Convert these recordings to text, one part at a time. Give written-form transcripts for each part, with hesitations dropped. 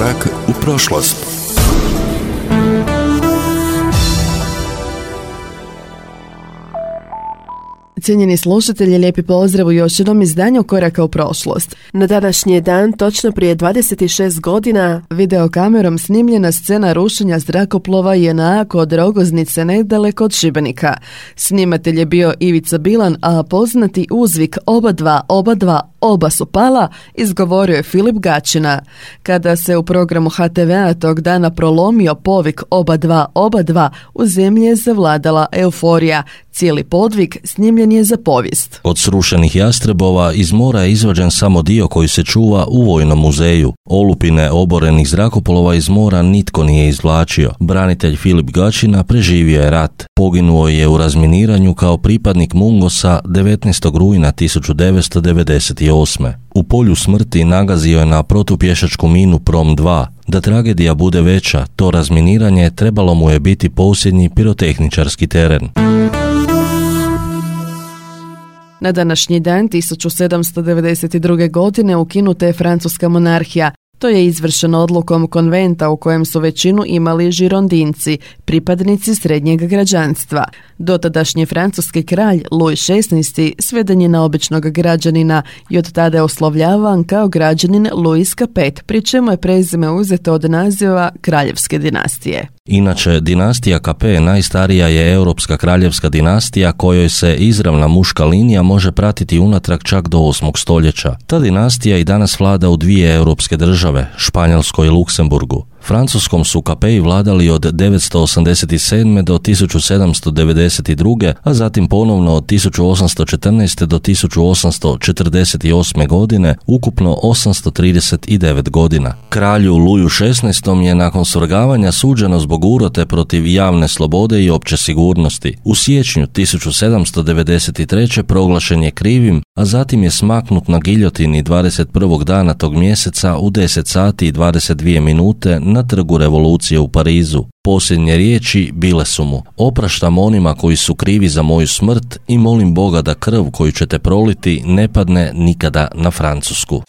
Korak u prošlost. Cijenjeni slušatelji, lijepi pozdrav u još jednom izdanju Koraka u prošlost. Na današnji dan, točno prije 26 godina, videokamerom snimljena scena rušenja zrakoplova JNA kod Rogoznice nedaleko od Šibenika. Snimatelj je bio Ivica Bilan, a poznati uzvik oba su pala izgovorio je Filip Gačina. Kada se u programu HTV-a tog dana prolomio povik oba dva, u zemlji je zavladala euforija. Cijeli podvig snimljen je za povijest. Od srušenih jastrebova iz mora je izvađen samo dio koji se čuva u Vojnom muzeju. Olupine oborenih zrakoplova iz mora nitko nije izvlačio. Branitelj Filip Gačina preživio je rat. Poginuo je u razminiranju kao pripadnik Mungosa 19. rujna 1998. U polju smrti nagazio je na protupješačku minu Prom 2. Da tragedija bude veća, to razminiranje trebalo mu je biti posljednji pirotehničarski teren. Na današnji dan 1792. godine ukinuta je francuska monarhija. To je izvršeno odlukom konventa u kojem su većinu imali žirondinci, pripadnici srednjeg građanstva. Dotadašnji francuski kralj Louis XVI sveden je na običnog građanina i od tada je oslovljavan kao građanin Louis Capet, pri čemu je prezime uzeto od naziva kraljevske dinastije. Inače, dinastija Capet najstarija je europska kraljevska dinastija kojoj se izravna muška linija može pratiti unatrag čak do 8. stoljeća. Ta dinastija i danas vlada u dvije europske države, Španjolskoj i Luksemburgu. Francuskom su Capeti vladali od 987. do 1792. a zatim ponovno od 1814. do 1848. godine, ukupno 839 godina. Kralju Luju XVI. Je nakon svrgavanja suđeno zbog urote protiv javne slobode i opće sigurnosti. U siječnju 1793. proglašen je krivim, a zatim je smaknut na giljotini 21. dana tog mjeseca u 10 sati i 22 minute na Trgu revolucije u Parizu. Posljednje riječi bile su mu: opraštam onima koji su krivi za moju smrt i molim Boga da krv koju ćete proliti ne padne nikada na Francusku.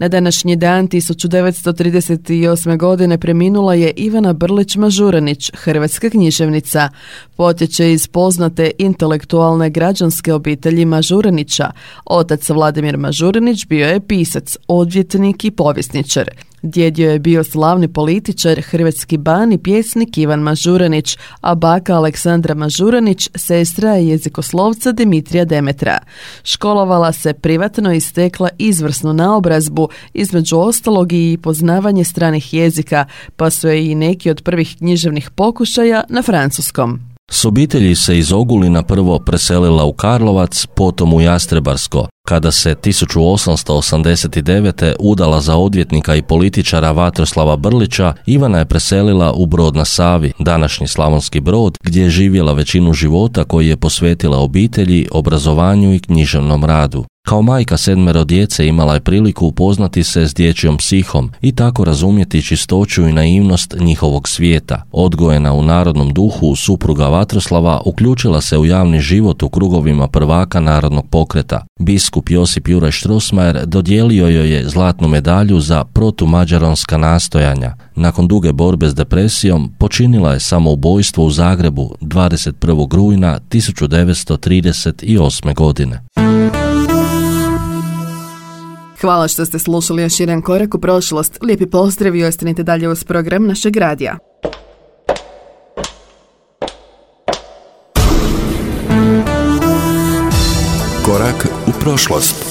Na današnji dan 1938. godine preminula je Ivana Brlić-Mažuranić, hrvatska književnica. Potječe iz poznate intelektualne građanske obitelji Mažuranića. Otac Vladimir Mažuranić bio je pisac, odvjetnik i povjesničar. Djedio je bio slavni političar, hrvatski ban i pjesnik Ivan Mažuranić, a baka Aleksandra Mažuranić sestra je jezikoslovca Dimitrija Demetra. Školovala se privatno i stekla izvrsnu naobrazbu, između ostalog i poznavanje stranih jezika, pa su je i neki od prvih književnih pokušaja na francuskom. S obitelji se iz Ogulina prvo preselila u Karlovac, potom u Jastrebarsko. Kada se 1889. udala za odvjetnika i političara Vatroslava Brlića, Ivana je preselila u Brod na Savi, današnji Slavonski Brod, gdje je živjela većinu života koji je posvetila obitelji, obrazovanju i književnom radu. Kao majka 7 djece imala je priliku upoznati se s dječjom psihom i tako razumjeti čistoću i naivnost njihovog svijeta. Odgojena u narodnom duhu, supruga Vatroslava uključila se u javni život u krugovima prvaka narodnog pokreta. Biskup Josip Juraj Strossmayer dodijelio joj je zlatnu medalju za protumađaronska nastojanja. Nakon duge borbe s depresijom počinila je samoubojstvo u Zagrebu 21. rujna 1938. godine. Hvala što ste slušali još jedan korak u prošlost. Lijepi pozdrav i ostanite dalje uz program našeg radija. Korak u prošlost.